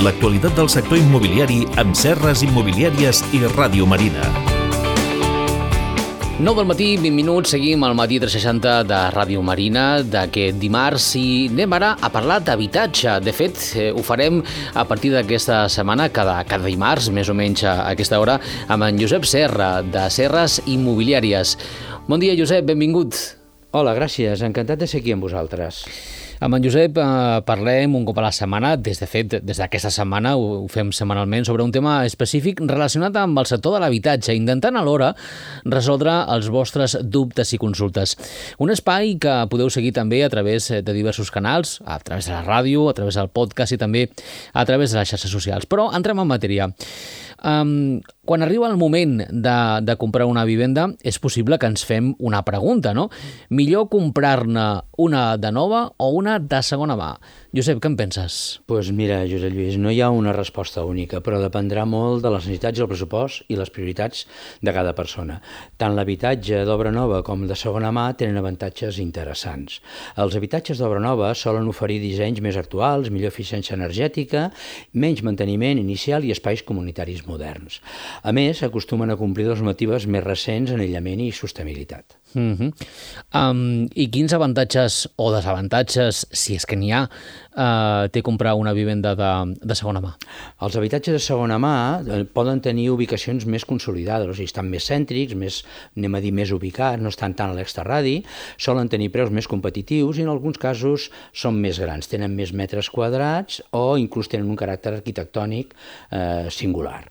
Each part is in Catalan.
L'actualitat del sector immobiliari amb Serres Immobiliàries i Ràdio Marina. 9 del matí, 20 minuts, seguim al matí 360 de Ràdio Marina d'aquest dimarts i anem ara a parlar d'habitatge. De fet, ho farem a partir d'aquesta setmana, cada dimarts, més o menys a aquesta hora, amb en Josep Serra, de Serres Immobiliàries. Bon dia, Josep, benvingut. Hola, gràcies, encantat de ser aquí amb vosaltres. Amb en Josep parlem un cop a la setmana, des d'aquesta setmana ho fem setmanalment, sobre un tema específic relacionat amb el sector de l'habitatge, intentant alhora resoldre els vostres dubtes i consultes. Un espai que podeu seguir també a través de diversos canals, a través de la ràdio, a través del podcast i també a través de les xarxes socials. Però entrem en matèria. Quan arriba el moment de comprar una vivenda, és possible que ens fem una pregunta, no? Millor comprar-ne una de nova o una de segona mà? Josep, què en penses? Doncs mira, Josep Lluís, no hi ha una resposta única, però dependrà molt de les necessitats, el pressupost i les prioritats de cada persona. Tant l'habitatge d'obra nova com de segona mà tenen avantatges interessants. Els habitatges d'obra nova solen oferir dissenys més actuals, millor eficiència energètica, menys manteniment inicial i espais comunitaris moderns. A més, acostumen a complir normatives més recents en aïllament i sostenibilitat. I quins avantatges o desavantatges, si és que n'hi ha, té comprar una vivenda de segona mà? Els habitatges de segona mà poden tenir ubicacions més consolidades, o sigui, estan més cèntrics, més ubicats, no estan tant a l'extraradi, solen tenir preus més competitius i en alguns casos són més grans, tenen més metres quadrats o inclús tenen un caràcter arquitectònic singular.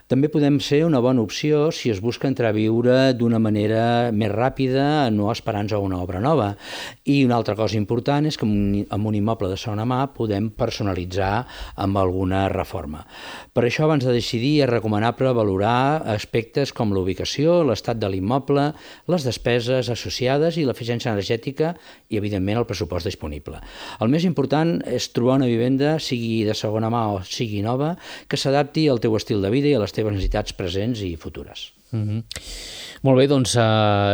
També podem ser una bona opció si es busca entrar a viure d'una manera més ràpida, no esperant-nos a una obra nova. I una altra cosa important és que amb un immoble de segona mà podem personalitzar amb alguna reforma. Per això, abans de decidir, és recomanable valorar aspectes com l'ubicació, l'estat de l'immoble, les despeses associades i l'eficiència energètica i, evidentment, el pressupost disponible. El més important és trobar una vivenda, sigui de segona mà o sigui nova, que s'adapti al teu estil de vida i a les teves necessitats presents i futures. Molt bé, doncs,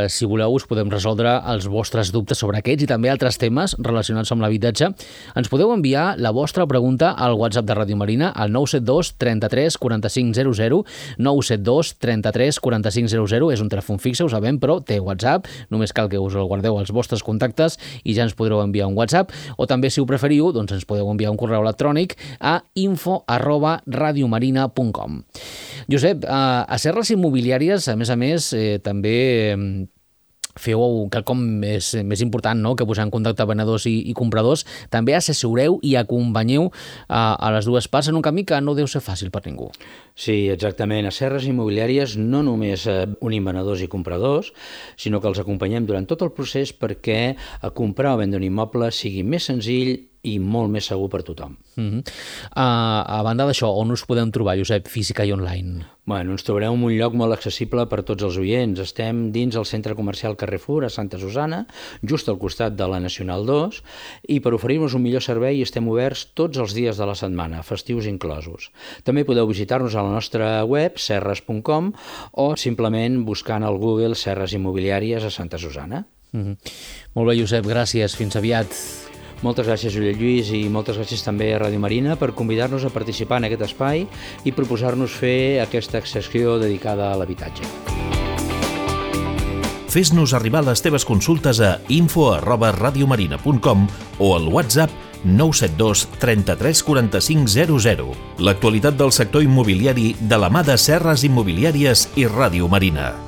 si voleu, us podem resoldre els vostres dubtes sobre aquests i també altres temes relacionats amb l'habitatge. Ens podeu enviar la vostra pregunta al WhatsApp de Ràdio Marina al 972 33 45 00, 972 33 45 00, és un telèfon fixe, ho sabem, però té WhatsApp, només cal que us el guardeu als vostres contactes i ja ens podreu enviar un WhatsApp, o també, si ho preferiu, doncs ens podeu enviar un correu electrònic a info@radiomarina.com. Josep, a Serres Immobiliàries, a més, també feu quelcom més important, no?, que posar en contacte venedors i compradors. També assessoreu i acompanyeu a les dues parts en un camí que no deu ser fàcil per ningú. Sí, exactament. A Serres Immobiliàries no només unim venedors i compradors, sinó que els acompanyem durant tot el procés perquè comprar o vendre un immoble sigui més senzill i molt més segur per tothom. A banda d'això, on us podem trobar, Josep, física i online? Bueno, ens trobareu en un lloc molt accessible per tots els oients. Estem dins el centre comercial Carrefour a Santa Susana, just al costat de la Nacional 2, i per oferir-nos un millor servei estem oberts tots els dies de la setmana, festius inclosos. També podeu visitar-nos a la nostra web, serres.com, o simplement buscant al Google Serres Immobiliàries a Santa Susana. Molt bé, Josep, gràcies. Fins aviat. Moltes gràcies, Josep Lluís, i moltes gràcies també a Ràdio Marina per convidar-nos a participar en aquest espai i proposar-nos fer aquesta secció dedicada a l'habitatge. Fes-nos arribar les teves consultes a info@radiomarina.com o al WhatsApp 972 33 45 00. L'actualitat del sector immobiliari de la mà de Serres Immobiliàries i Ràdio Marina.